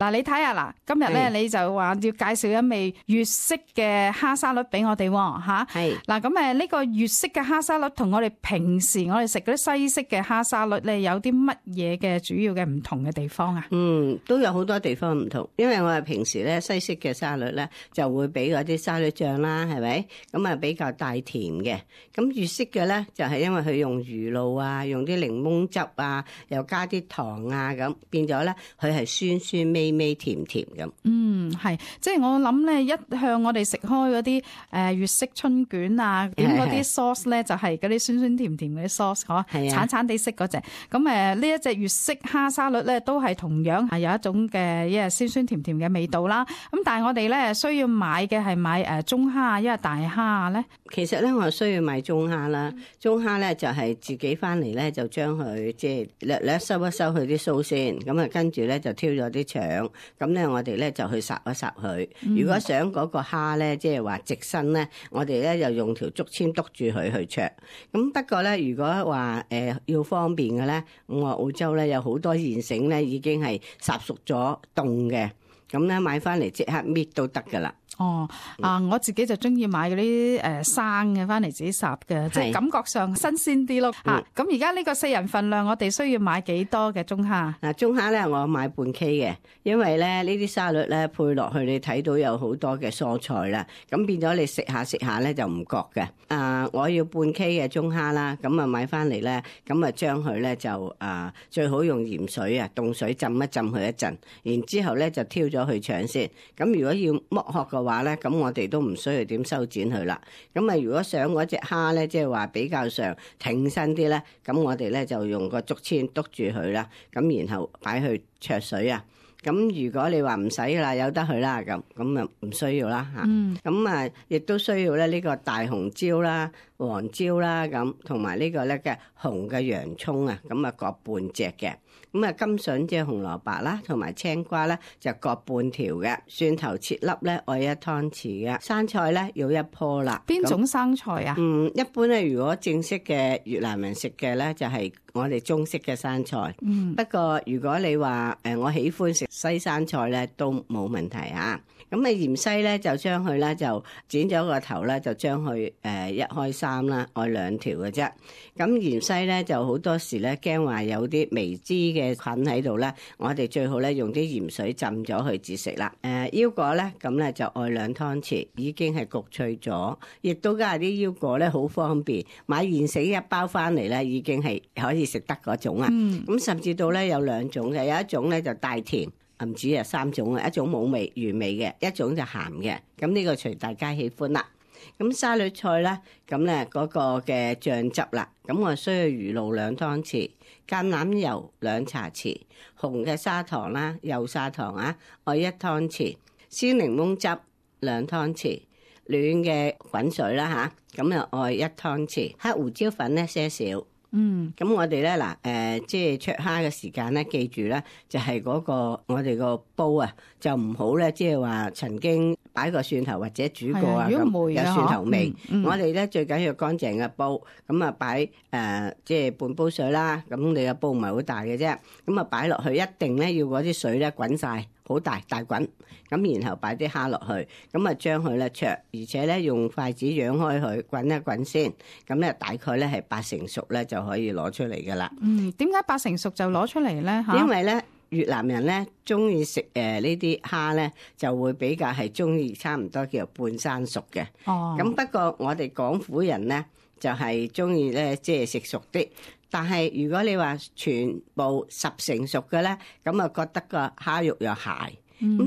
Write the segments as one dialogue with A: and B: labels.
A: 嗱，你睇下嗱，今日咧你就話要介紹一味粵式嘅蝦沙律俾我哋喎，嚇。係。嗱，咁呢個粵式嘅蝦沙律同我哋平時我哋食嗰啲西式嘅蝦沙律咧，有啲乜嘢嘅主要嘅唔同嘅地方啊？
B: 都有好多地方唔同，因為我哋平時咧西式嘅沙律咧就會俾嗰啲沙律醬啦，係咪？咁啊比較帶甜嘅。咁粵式嘅咧就係因為佢用魚露啊，用啲檸檬汁啊，又加啲糖啊，咁變咗咧佢係酸酸味味甜甜咁。
A: 係，即係我諗咧，一向我哋食開嗰啲粵式春卷啊，點嗰啲 sauce 咧就係嗰啲酸酸甜甜嗰啲 sauce， 嗬，橙橙地色嗰隻。咁呢一隻粵式蝦沙律咧，都係同樣係有一種嘅酸酸甜甜嘅味道啦。咁但係我哋咧需要買嘅係買中蝦，因為大蝦咧。
B: 其實咧我需要買中蝦啦，中蝦咧就係自己翻嚟咧就將佢即係略收一收佢啲鬚先，咁啊跟住咧就挑咗啲腸，咁咧我哋咧就去烚一烚佢。如果想嗰個蝦咧，即係話直身咧，我哋咧又用條竹籤篤住佢去灼。咁不過咧，如果話要方便嘅咧，我話澳洲咧有好多現成咧已經係烚熟咗凍嘅，咁咧買翻嚟即刻搣都得噶啦。
A: 我自己就中意買嗰啲生嘅翻嚟自己烚嘅，即係感覺上新鮮啲咯。咁而家呢個4人份量，我哋需要買幾多嘅中蝦？
B: 嗱，中蝦咧我買半 K 嘅，因為咧呢啲沙律咧配落去，你睇到有好多嘅蔬菜啦，咁變咗你食下咧就唔覺嘅。我要半 K 嘅中蝦啦，咁啊買翻嚟咧，咁啊將佢咧就最好用鹽水啊凍水浸一浸佢一陣，然之後咧就挑咗佢腸先。咁如果要剝殼嘅話咧，咁我哋都唔需要點修剪佢啦。咁啊，如果想嗰隻蝦咧，即係話比較上挺身啲咧，咁我哋咧就用個竹籤篤住佢啦。咁然後擺去焯水啊。咁如果你話唔使啦，由得佢啦，咁啊唔需要啦嚇。咁啊，亦都需要咧呢個大紅椒啦、黃椒啦，咁同埋呢個咧嘅紅嘅洋葱啊，咁啊各半隻嘅。咁啊，甘筍即係紅蘿蔔啦，同埋青瓜咧就各半條嘅。蒜頭切粒咧愛1湯匙嘅。生菜咧要1棵啦。
A: 邊種生菜啊？
B: 一般咧，如果正式嘅越南人食嘅咧，就係我哋中式嘅生菜。不過如果你話我喜歡食西生菜咧，都冇問題啊。咁啊芫茜咧就將佢咧就剪咗個頭咧，就將佢1開3啦，愛2條嘅啫。咁芫茜咧就好多時咧驚話有啲微脂嘅菌喺度咧，我哋最好咧用啲鹽水浸咗佢至食啦。腰果咧咁咧就愛2湯匙，已經係焗脆咗，亦都加啲腰果咧好方便，買現成1包翻嚟咧已經係可以食得嗰種啊。咁甚至到咧有2種嘅，有一種咧就帶甜。唔止啊3種啊，一種冇味原味嘅，一種就鹹嘅。咁呢個隨大家喜歡啦。咁沙律菜咧，咁咧嗰個嘅醬汁啦，咁我需要魚露2湯匙，橄欖油2茶匙，紅嘅砂糖啦，幼砂糖啊，愛1湯匙，鮮檸檬汁2湯匙，暖嘅滾水啦吓，咁又愛1湯匙，黑胡椒粉咧些少。咁我哋咧嗱，即係灼蝦嘅時間咧，記住咧就係嗰個我哋個煲啊，就唔好咧，即係話曾經擺個蒜頭或者煮過啊，咁有蒜頭味。我哋咧最緊要乾淨嘅煲，咁啊擺即係半煲水啦。咁你個煲唔係好大嘅啫，咁啊擺落去一定咧要嗰啲水咧滾晒。好大滾，咁然後擺啲蝦落去，咁啊將佢咧灼，而且咧用筷子揚開佢滾一滾先，咁咧大概咧係8成熟咧就可以攞出嚟噶啦。
A: 點解8成熟就攞出嚟咧？
B: 因為咧越南人咧中意食呢啲蝦咧，就會比較係中意差唔多叫做半生熟嘅。咁不過我哋港府人咧就係中意咧即係食熟啲。但係如果你話全部10成熟嘅咧，咁啊覺得個蝦肉又鞋。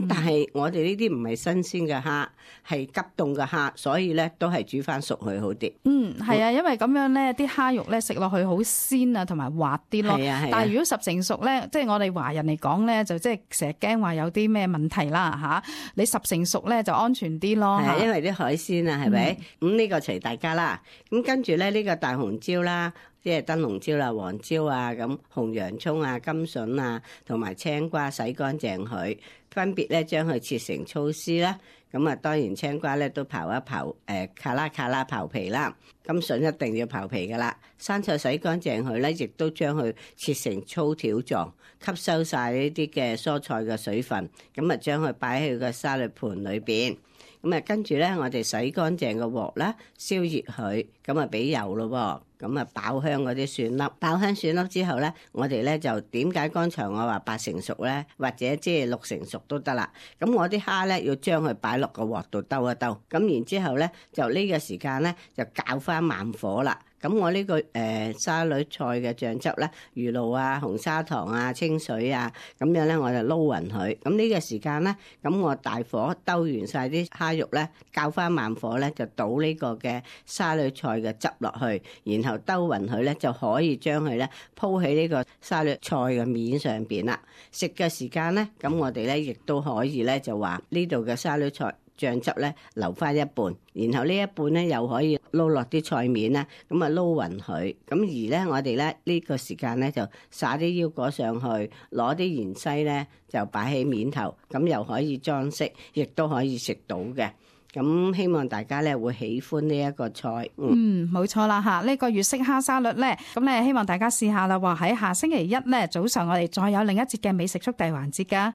B: 但係我哋呢啲唔係新鮮嘅蝦，係急凍嘅蝦，所以咧都係煮翻熟佢好啲。
A: 係啊，因為咁樣咧，啲蝦肉咧食落去好鮮啊，同埋滑啲咯。但係如果10成熟咧，即係我哋華人嚟講咧，就即係成日驚話有啲咩問題啦嚇。你10成熟咧就安全啲咯。係
B: 因為啲海鮮啊，係咪？咁呢個隨大家啦。咁跟住咧呢個大紅椒啦。即係燈籠椒啦、黃椒啊、咁紅洋葱啊、甘筍啊，同埋青瓜洗乾淨佢，分別咧將佢切成粗絲啦。咁啊，當然青瓜咧都刨一刨，卡啦刨皮啦。甘筍一定要刨皮噶啦。生菜洗乾淨佢咧，亦都將佢切成粗條狀，吸收晒呢啲嘅蔬菜嘅水分。咁啊，將佢擺喺個沙律盤裏邊。咁啊，跟住咧，我哋洗乾淨個鑊啦，燒熱佢，咁啊俾油咯，咁啊爆香嗰啲蒜粒，爆香蒜粒之後咧，我哋咧就點解剛才我話8成熟咧，或者即係6成熟都得啦。咁我啲蝦咧要將佢擺落個鑊度兜一兜，咁然之後咧就呢個時間咧就較翻慢火啦。咁我呢個沙律菜嘅醬汁咧，魚露啊、紅砂糖啊、清水啊，咁樣咧我就撈勻佢。咁呢個時間咧，咁我大火兜完晒啲蝦肉咧，較翻慢火咧就倒呢個嘅沙律菜嘅汁落去，然後兜勻佢咧就可以將佢咧鋪喺呢個沙律菜嘅面上邊啦。食嘅時間咧，咁我哋咧亦都可以咧就話呢度嘅沙律菜醬汁咧留翻一半，然後呢一半咧又可以撈落啲菜面啦，咁啊撈勻佢。咁而咧我哋咧呢個時間咧就撒啲腰果上去，攞啲芫茜咧就擺喺面頭，咁又可以裝飾，亦都可以食到嘅。咁希望大家咧會喜歡呢一個菜。
A: 冇錯啦嚇，呢個粵式蝦沙律咧，咁咧希望大家試下啦。話喺下星期一咧早上，我哋再有另一節嘅美食速遞環節㗎。